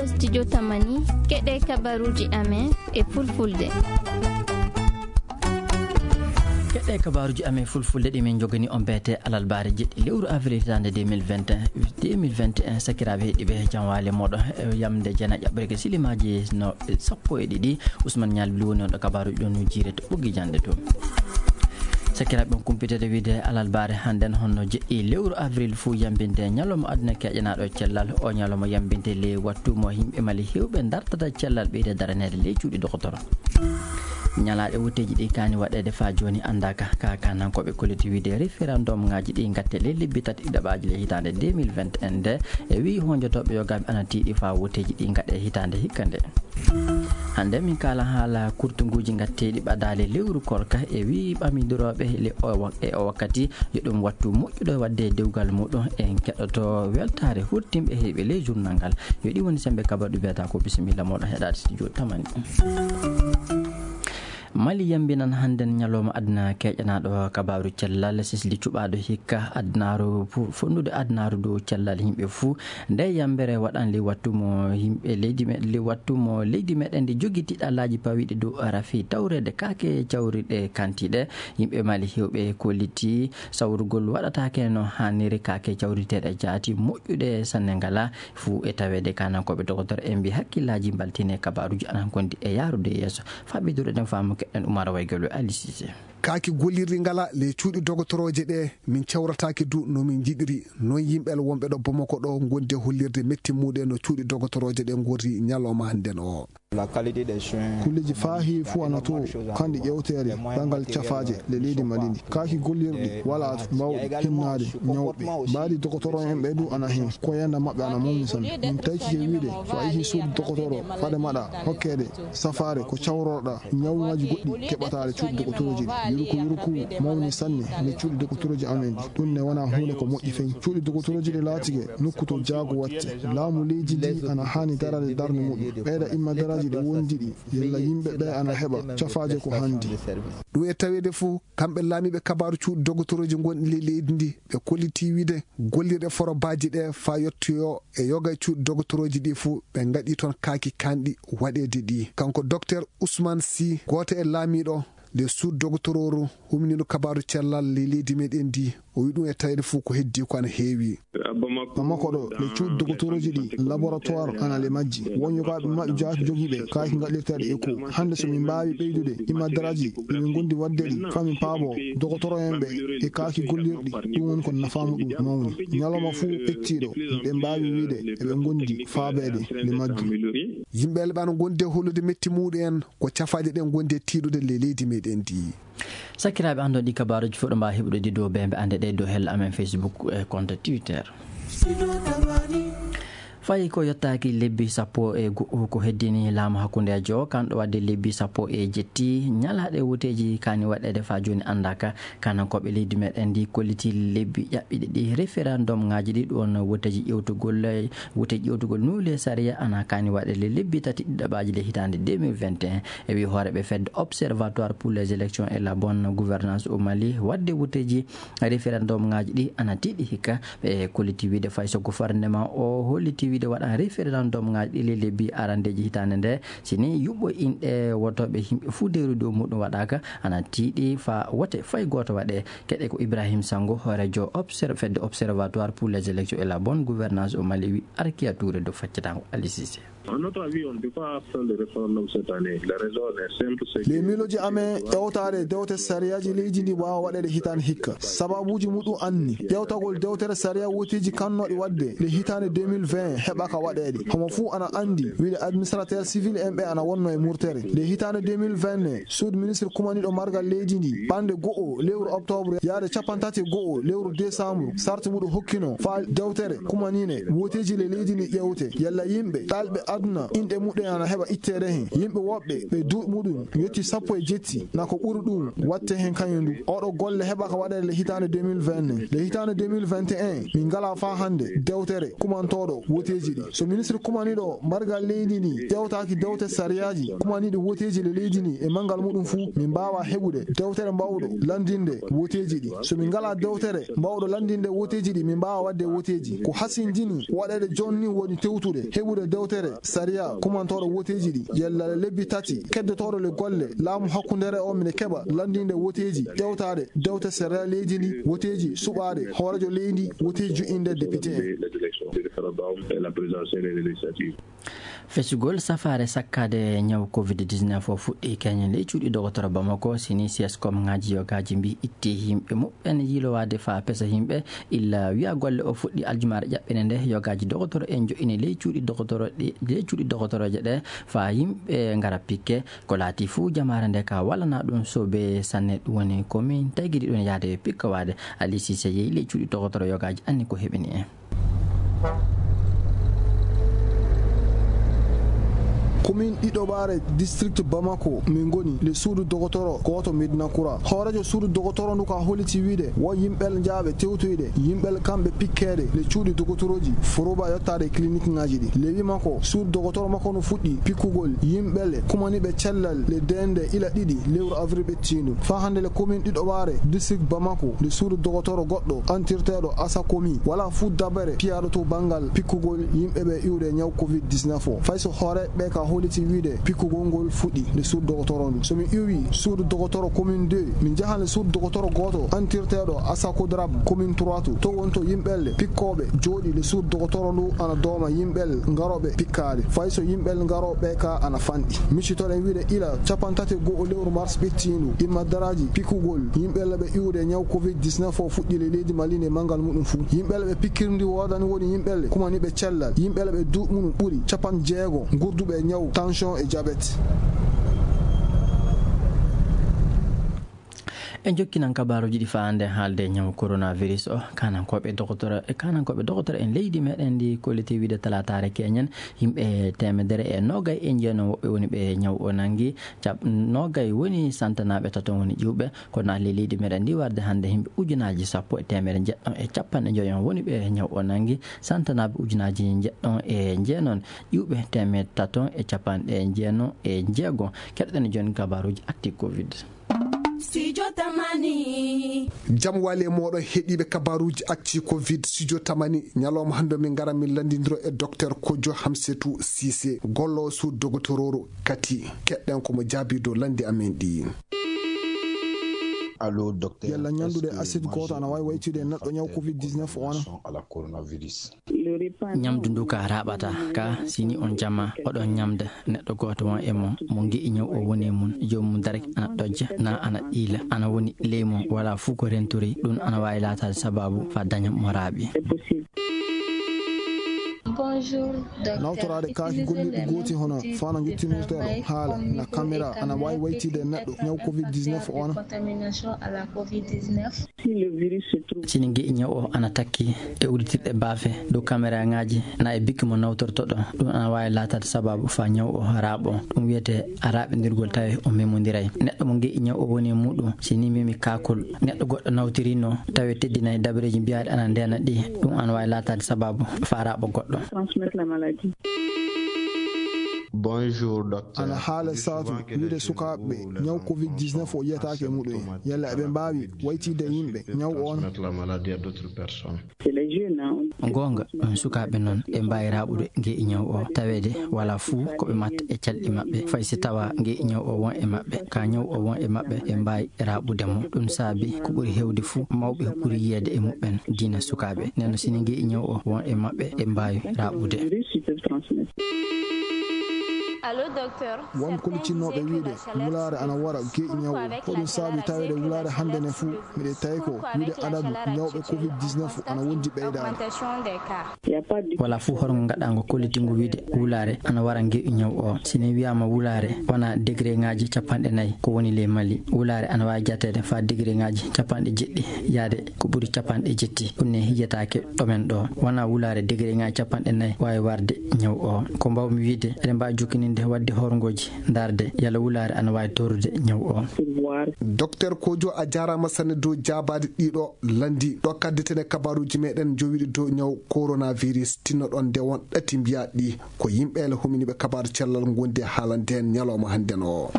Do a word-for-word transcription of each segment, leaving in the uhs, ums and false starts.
Studio Tamani, keɗe kabaruji amen e fulfulde. Keɗe kabaruji amen fulfulde ɗi min jogani on beete alalbaare jeɗɗi lewru avril hitaande deux mille vingt et un, deux mille vingt et un, sakiraaɓe heɗiɓe janwaale moɗo yamde jena ƴaɓɓoreke silimaji no sappo e ɗiɗi. Ousmane Nialbli woni on ɗo kabaruji ɗon no jiire to ɓoggi jande to. Sakiraaɓe on kumpitede wiide alalbaare hannden honno jeɗɗi lewru avril fuu yambinde ñalawma aduna keƴanaaɗo cellal. O ñalawma yambinde ley wattu mo yimɓe Mali heewɓe dartata cellal ɓeyde daraneede ley cuuɗi dokotoro. Ñalaaɗe wotteeji ɗi kaani waɗeede faa jooni anndaaka. Ka kanankooɓe kolliti wiide référendum ŋaaji ɗi ngatte ley lebbi tati ɗiɗaɓaaji ley hitaande deux mille vingt et un nde e wii honjotooɓe yogaaɓe ana tiiɗi faa wotteeji ɗi ngaɗe hitaande hikka nde. Hannde min kaala haala kurtunguuji ngatteeɗi ɓadaali lewru korka e wii ɓamidorooɓe le o wa-, e o wakkati yo ɗum wattu moƴƴuɗo waɗde dewgal muɗum. En keɗoto weltaare hurtimɓe heewɓe ley journal ngal. Yo ɗi woni sembe kabaru ɗi mbiyata ko bisimilla moɗon heɗaade studio Tamani. Mali yambinan hannden ñalawma aduna keƴanaaɗo kabaru cellal sisli cuɓaaɗo hikka adunaaru fu-, fonnude adunaaru dow cellal yimɓe fuu. Nde yambere waɗan li wattu mo yimɓe leydi me-, li wattu mo leydi meɗen ndi jogi tiɗalaaji pawiɗi dow rafi tawreede kaake cawriɗe kantiiɗe. Yimɓe Mali heewɓe kolliti sawrugol waɗataake no haaniri kaake cawriteeɗe jaati moƴƴuɗe sanne ngala fuu e taweede kanankooɓe dokotoro en mbi hakkillaaji mbaltine kabaruji anan kondi e yaarude yeeso. Faɓɓiduɗo ɗen faamu keɗen Umar Waygol e Ali Cissé. Kaaki gollirɗi ngala ley cuuɗi dogotorooje ɗe, min cawrataake du no min njiɗiri. Noon yimɓe wonɓe ɗo Bamako ɗo ngondi e hollirde metti muɗum no cuuɗi dogotorooje ɗe ngorri ñalawma hannden o. Kulleeji faahi fuu ana to, kanɗi ƴewteede, ɓangal cafaaje le leydi Mali ndi. Kaaki gollirɗi walaa to, mbaawɗi hinnaade ñawɓe. Mbaadi dokotoro en ɓe du ana heen, ko yanda maɓɓe ana mawni sanne. Min taykike wiide, so a yehi suudu dokotoro, fade maɗa hokkeede safaare ko cawrorɗa, ñawuŋaaji goɗɗi keɓataade cuuɗi dogotorooji ɗi. Yuruku yuruku mawni sanne le cuuɗi dogotorooji amen ɗi. Ɗum ne wonaa huunde ko moƴƴi fey. Cuuɗi dogotorooji ɗi laatike nokku to jaago watte. Laamu leydi ndi ana haani darade darnde muɗum. Ɓeyda imma daraaji ɗi wondi ɗi, yalla yimɓe ɓe ana heɓa cafaaje ko handi. Ɗum e taweede fuu, kamɓe laamiiɓe kabaru cuuɗi dogotorooji gonɗi ley leydi ndi, ɓe kolliti wiide gollirɗe forobaaji ɗe faa yottoyoo e yoga e cuuɗi dogotorooji ɗi fuu, ɓe ngaɗi toon kaaki kanɗi waɗeede ɗi. Kanko Docteur Ousmane Sy, gooto e laamiiɗo le suudu dogotorooru huminiiɗo kabaru cellal ley leydi meɗen ndi, o wi ɗum e taweede fuu ko heddi ko ana heewi. Bamako ɗo, le cuuɗi dogotorooji ɗi, laboratoire ana le majji. Won yogaaɓe maɓɓe jaati jogii ɓe, kaaki ngaɗirteeɗe écho. Hannde so min mbaawi ɓeydude imadaraaji ɗi min ngondi waɗde ɗi, faa min paaboo dokotoro en ɓe e kaaki gollirɗi, ɗum woni ko nafaa muɗum mawni. Ñalawma fuu ɓettiiɗo, ɓe mbaawi wiide eɓe ngondi faabeede le majji. Yimɓe Elɓe ana ngondi e hollude metti muɗum en, ko cafaaje ɗe ngondi e tiiɗude le leydi meɗen ndi. Sakiraaɓe, anndon ɗi kabaaruuji fof ɗo mbaawa heɓude ɗi dow bembe annde ɗe dow hella amen Facebook e compte Twitter. Fayi ko yottaaki lebbi sappo e go'o ko heddini laamu hakkundeejo o, kanɗo waɗde lebbi sappo e jetti ñalaaɗe woteeji kaani waɗeede faa jooni anndaaka. Kanankooɓe leydi meɗen ndi kolliti lebbi ƴaɓɓiɗi ɗi référendum ŋaaji ɗi ɗon woteeji ƴewtugol, woteeji ƴewtugol nuule sariya ana kaani waɗeede lebbi tati ɗiɗaɓaaji le hitaande deux mille vingt et un. E wi hooreeɓe fedde Observatoire pour les élections et la bonne gouvernance au Mali, waɗde woteeji référendum ŋaaji ɗi ana tiiɗi hikka. Ɓe kolliti wiide fay so gouvernement o holliti wiide waɗan référendum ŋaaji ɗi le lebbi arandeeji hitaande nde, si ni yuɓɓo inɗe wotooɓe yimɓe fuu deeru dow muɗum waɗaaka, ana tiiɗi faa wote fay gooto waɗe. Keɗe ko Ibrahim Sango, hooreejo obser-, fedde Observatoire pour les élections et la bonne gouvernance au Mali, wi Arkiya Touré do faccatango Ali Cissé. À notre avis, on ne peut pas faire le référendum cette année. La raison, elle est simple, c'est que... Ley miilooji amen, ƴeewtaare dewte sariyaaji leydi ndi waawa waɗeede hitaande hikka. Sababuuji muɗum anni. Ƴeewtagol dewtere sariya woteeji kannooɗi waɗde le hitaande deux mille vingt heɓaaka waɗeede. Homo fuu ana anndi wiide administrateur civil en ɓe ana wonno e murtere. Le hitaande deux mille vingt ne, suudu ministre kumaniiɗo margal leydi ndi, ɓannde go'o lewru octobre yaade cappanɗe tati e go'o lewru décembre, sarti muɗum hokkino faa dewtere kumaniinde woteeji le leydi ndi ƴeewte. Yalla yimɓe ɗalɓe aduna inɗe muɗum ana heɓa itteede heen. Yimɓe woɓɓe ɓe duuɓi muɗum yotti sappo e jetti, na ko ɓuri ɗum watte heen kañum du. Oɗo golle heɓaaka waɗeede le hitaande deux mille vingt ne. Le hitaande deux mille vingt et un, min ngalaa faa hannde dewtere kumantooɗo woteeji Woteeji ɗi. So ministre kumaniiɗo mbargal leydi ndi ƴeewtaaki dewte sariyaaji kumaniiɗi woteeji le leydi ndi e manngal muɗum fuu, min mbaawaa heɓude dewtere mbaawɗo lanndinde woteeji ɗi. So min ngalaa dewtere mbaawɗo lanndinde woteeji ɗi, min mbaawaa waɗde woteeji. Ko hasinjini waɗeede jooni nii woni tewtude heɓude dewtere sariya kumantooɗo woteeji ɗi, yalla lebbi tati keddotooɗo le golle laamu hakkundeere o, mine keɓa lanndinde woteeji ƴeewtaaɗe dewte sariya leydi ndi, woteeji suɓaaɗe hooreejo leydi, woteeji juɓɓinde député en. Fesugol safaare sakkaade ñaw covid dix-neuf o fuɗɗii keñen ley cuuɗi dogotoro Bamako, sini siyas komŋaaji yogaaji mbii itti yimɓe muɓɓen yiilowaade faa pesa yimɓe. Illa wiya golle o fuɗɗii aljumaare ƴaɓɓende nde, yogaaji dogotoro en joɗɗini ley cuuɗi dogotoro ɗi, ley cuuɗi dogotorooje ɗe faa yimɓe ngara pikke. Ko laati fuu jamaare nde ka wallanaa ɗum soobee sanne, ɗum woni ko min tagiri ɗum yahde pikkowaade. Ali Sise yehi ley cuuɗi dogotoro yogaaji anni ko heɓini en. Komin ɗiɗoɓaare district Bamako min ngoni le suudu dogotoro gooto Medina Kura. Hooreejo suudu dogotoro ndu ka holliti wiide wo yimɓel njaaɓe tewtoyde, yimɓel kamɓe pikkeede le cuuɗi dogotorooji foroba yottaade e clinique ŋaaji ɗi. Lewi makko, suudu dogotoro makko no fuɗɗi pikkugol yimɓel kumaniiɓe cellal le dende ila ɗiɗi lewru avril ɓettiindu. Faa hannde le komin ɗiɗoɓaare district Bamako, le suudu dogotoro goɗɗo antirteeɗo Asakomi, wala fuu dabere piyaaɗo to banngal pikkugol yimɓe ɓe iwde ñaw covid dix-neuf o. Fay so hooreeɓe ɓe ka holliti wiide pikkugol ngol fuɗɗi le suudu dogotoro ndu. So mi iwi suudu dogotoro commune deux, min njahan le suudu dogotoro gooto antirteeɗo Asakodrab commune trois to. To wonto yimɓelle pikkooɓe jooɗi le suudu dogotoro ndu ana dooma yimɓel ngarooɓe pikkaade. Fay so yimɓel ngarooɓe ka ana fanɗi. Miccitoɗen wiide ila cappanɗe tati e go'o lewru mars ɓettiindu, imma daraaji pikkugol yimɓelle ɓe iwde ñaw covid dix-neuf o fuɗɗi le leydi Mali nde manngal muɗum fuu. Yimɓelle ɓe pikkirndi woodani woni yimɓelle kumaniiɓe cellal, yimɓelle ɓe duuɓi muɗum ɓuri cappanɗe jeego ngurduɓe ñaw tension e diabète. En jokkinan kabaaruuji ɗi faande haalde ñaw coronavirus o. Kanankooɓe dokotoro, e kanankooɓe dokotoro en leydi meɗen ndi kolliti wiide talaataare keñen, yimɓe teemedere e noogay e jeenom woɓɓe woni ɓe ñaw o nanngi. Cap-, noogay woni santanaaɓe tato woni ƴiwɓe, kono ley leydi meɗen ndi warde hannde yimɓe ujunaaji sappo e teemedere jeɗɗo e cappanɗe joyo woni ɓe ñaw o nanngi. Santanaaɓe ujunaaji jeɗɗo e jeenom, ƴiwɓe teemedere tato e cappanɗe jeenom e jeego. Keɗoɗen jooni kabaaruuji actu covid. Studio Tamani. Jam wali e mooɗon heɗiiɓe kabaaruuji actu covid Studio Tamani. Ñalawma hannde min ngara min lanndindiro e Docteur Kojo Hamsetu Sise, golloowo suudu dogotorooro Kati. Keɗɗen ko mo jaabii dow lanndi amen ɗi. Allo, docteur. Yalla ñanndude acide gooto ana waawi waytude neɗɗo ñaw covid dix-neuf o ana? Ñamdu ndu ka raaɓata ka, sini on jama oɗon ñamda neɗɗo gooto won e mon, mo nge'i ñaw o woni e mum, joomum darake ana ɗojja, na ana ɗiila, ana woni ley mum, wala fuu ko rentori, ɗum ana waawi laataade sabaabu faa daña mo raaɓi. Nawtoraade kaaki gollirɗi gooti hono fana njottinirteeɗo haala na caméra ana waawi waytide neɗɗo ñaw covid dix-neuf o ana? Sini nge'i ñaw o ana takki e udditirɗe baafe dow kameraaŋaaji na e bikki mo nawtortoɗo, ɗum ana waawi laataade sabaabu faa ñaw o raaɓo. Ɗum wiyetee a raaɓindirgol tawi o memondiray. Neɗɗo mo nge'i ñaw o woni e muɗum, sini memi kaakol neɗɗo goɗɗo nawtirino tawi teddinay dabareeji mbiyaaɗi ana ndeena ɗi, ɗum ana waawi laataade sabaabu faa raaɓo goɗɗo. Bonjour, docteur. Ana haala saatu wiide sukaaɓe ɓe ñaw covid dix-neuf o yiyataake e muɗum en. Yalla eɓe mbaawi waytide yimɓe ñaw o on? Transmettre la maladie à d'autres personnes. Goonga, on sukaaɓe noon ɓe mbaawi raaɓude nge'i ñaw o, taweede wala fuu ko ɓe matta e calɗi maɓɓe. Fay si tawa nge'i ñaw o won e maɓɓe, ka ñaw o won e maɓɓe, ɓe mbaawi raaɓude mo. Ɗum saabi ko ɓuri heewde fuu, mawɓe ɓuri yiyeede e muɓɓen diina sukaaɓe. Nden noon, sini nge'i ñaw o won e maɓɓe, ɓe mbaawi raaɓude. Won kollitinnooɓe wiide wulaare ana wara ge'i ñaw o. Ko ɗum saabi taweede wulaare hannde ne fuu, miɗe tawi ko wiide adadu ñawɓe covid dix-neuf ana wondi ɓeydaade. Wala fuu horngo ngaɗaango kollitingo wiide wulaare ana wara nge'i ñaw o. Si ne wiyaama wulaare wona degré ŋaaji cappanɗe nayi ko woni ley Mali, wulaare ana waawi jateede faa degré ŋaaji cappanɗe jeɗɗi yaade ko ɓuri cappanɗe jetti. Ɗum ne yiyetaake ɗomen ɗo. Wona wulaare degré ŋaaji cappanɗe nayi waawi warde ñaw o. Ko mbaawmi wiide, eɗen mbaawi jokkini Nde waɗde horngooji, ndaarde yalla wulaare ana waawi torrude ñaw o. Docteur Kojo, a jaaraama sanne dow jaabaade ɗiɗo lanndi ɗo kaddeten e kabaruuji meɗen jowiiɗi dow ñaw coronavirus. Tinnoɗon nde won ɗati mbiyaa ɗi ko yimɓe ele huminiiɓe kabaaru cellal ngondi e haalande en ñalawma hannden o.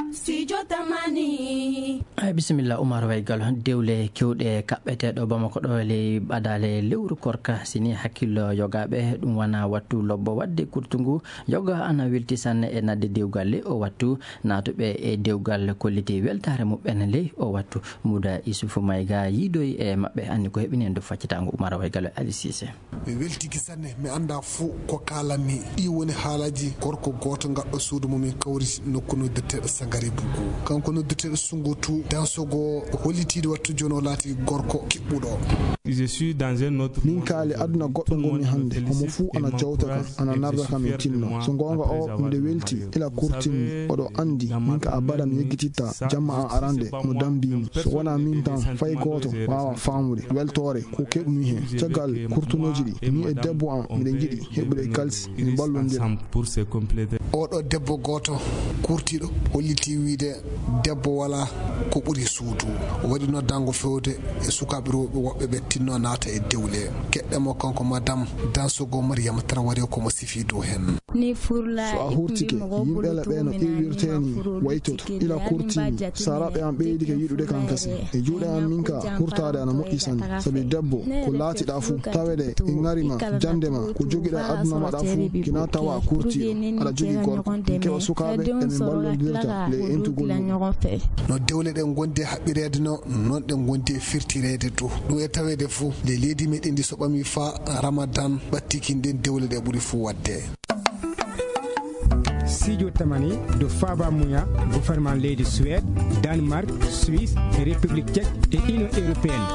Studio Tamani. Ay, bisimilla, Umar Waygal. Dewle kewɗe kaɓɓete ɗo Bamako ɗo ley ɓadaale lewru korka, si ni hakkillo yogaaɓe, ɗum wona wattu lobbo waɗde kurtungu. Yoga ana welti sanne e naatde dewgal ley o wattu. Naatuɓe e dewgal kolliti weltaare muɓɓen ley o wattu. Muda Isufu Mayga yiidoyi e maɓɓe, anndi ko heɓini en dow faccitaango Umar Waygal e Ali Sise. Mi weltiki sanne, mi anndaa fuu ko kaalanmi. Ɗii woni haalaaji gorko gooto gaɗɗo suudu mo min kawriti nokku noddirteeɗo Sangare Bugu. Kanko noddirteeɗo Sungutu Dansogo hollitiiɗo wattu jooni o laati gorko kiɓɓuɗo. Je suis dans un autre Min monde kaali aujourd'hui. Aduna goɗɗo Tout le ngonmi monde me hannde. Homo félicite fuu et ana jawta kam, m'encourage ana et je narda suis kam e fier de tinno. Moi. So goonga o, après avoir miɗo été welti marié. Ila kurtinmi, oɗo anndi, min ka abada mi yeggititta jamma an arande no dammbimi. So wonaa min tan, fay gooto waawa faamude weltoore ko keɓmi heen caggal kurtuŋooji ɗi. Min e debbo am, miɗen njiɗi heɓude kalsi, min mballondira. Oɗo debbo gooto kurtiiɗo holliti wiyde debbo walaa ko ɓuri suudu. O waɗi noddaango feewde e sukaaɓe rewɓe woɓɓe ɓe tinno naata e dewle. Keɗɗen mo kanko Madame Dansogo Mariama Traoré ko mo sifi dow heen. So a hurtike, yimɓe ɓe no ƴiiwirtee nii waytoto. Ila kurtinmi, saaraaɓe am ɓeydike yiɗude kam kasin. E juuɗe am min ka, hurtaade ana moƴƴi sanne. Sabi debbo, ko laatiɗaa fuu, tawede e ŋari ma, jannde ma, ko jogiɗaa aduna maɗa fuu, kina tawa kurtiiɗo, aɗa jogii gorko. Min keɓa sukaaɓe, emin mballondirta ley entugol mum. No dewle ɗe ngondi e haɓɓireede no, noon ɗe ngondi e firtireede du. Ɗum e taweede fuu, ley leydi meɗen ndi so ɓami faa Ramadan ɓattiki, nden dewle ɗe ɓuri fuu waɗde. Studio Tamani dow faaba muya gouvernement leydi Suède, Danemark, Suisse, République Tchèque e Union Européenne.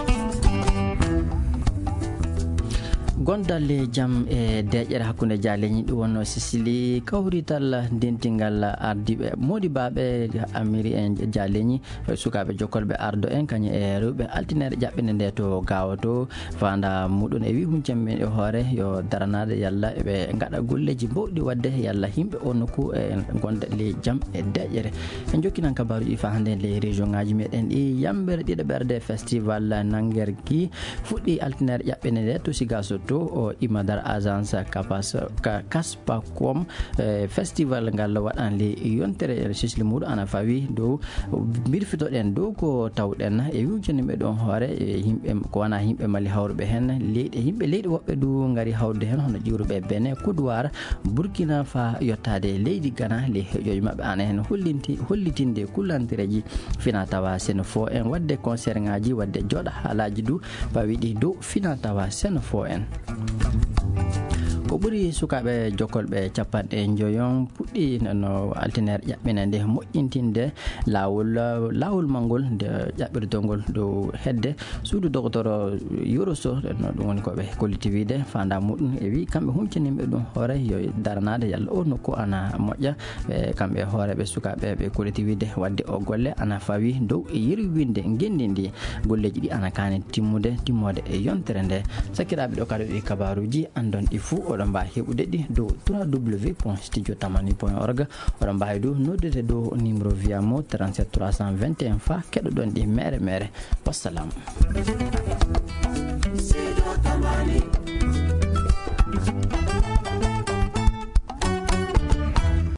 Gondal e jam e deeƴere hakkunde jaaleñi, ɗum wonno Sisili, kawrital dentingal ardiiɓe moodibaaɓe Amiri en jaaleñi. Sukaaɓe jokkolɓe ardo en, kañum e rewɓe, altineere ƴaɓɓinde nde to Gaawo to, faanda muɗum e wi huncen men e hoore yo daranaade yalla ɓe ngaɗa golleeji mbowɗi waɗde yalla yimɓe o nokku e gonda ley jam e deeƴere. En jokkinan kabaaruuji fa hannde ley région ŋaaji meɗen ɗi. Yambere ɗiɗaɓerde festival Nangergi fuɗɗi altineere ƴaɓɓinde nde to Sigaso to o Imadar Agence Kapas, Ka-, Kaspakom. Eh, festival ngal waɗan le yontere sisli muɗum ana fawi dow mbirfitoɗen dow ko tawɗen e wiwjanimɓe ɗon hoore, e yimɓe ko wona yimɓe Mali hawruɓe heen, leyɗe, yimɓe leyɗe woɓɓe du ngari hawrude heen, hono ƴiwruɓe Benin, Côte d'Ivoire, Burkina, fa yottaade leydi Ghana, le heƴooji maɓɓe ana heen hollinti-, hollitinde kullantireeji fina tawa seno fo en waɗde concert ŋaaji, waɗde jooɗa haalaaji du pawiɗi dow fina tawa seno fo en. Ko ɓuri sukaaɓe jokkolɓe capanɗe njoyon puɗɗi no altineere ƴaɓɓina nde moƴƴintinde laawol, laawol mangol nde ƴaɓɓirtongol dow hedde suudu dogotoro Yoro Sow, no ɗum woni ko ɓe kolliti wiide faanda muɗum e wi kamɓe huncaniɓe ɗum hoore yo daranaade yalla o nokku ana moƴƴa. Ɓe, kamɓe hooreeɓe sukaaɓe ɓe kolliti wiide waɗde o golle ana fawi dow e yerwinde ngenndi ndi. Golleeji ɗi ana kaani timmude, timmoode e yontere nde. Sakiraaɓe, ɗo kaɗo ɗi kabaaruuji, anndon ɗi fuu, oɗon mbaawi heɓude ɗi dow trois W point studio tamani point org. Oɗon mbaawi du noddude dow numéro via mo trente-sept trois cent vingt et un fa keɗoɗon ɗi mere mere. Wassalam.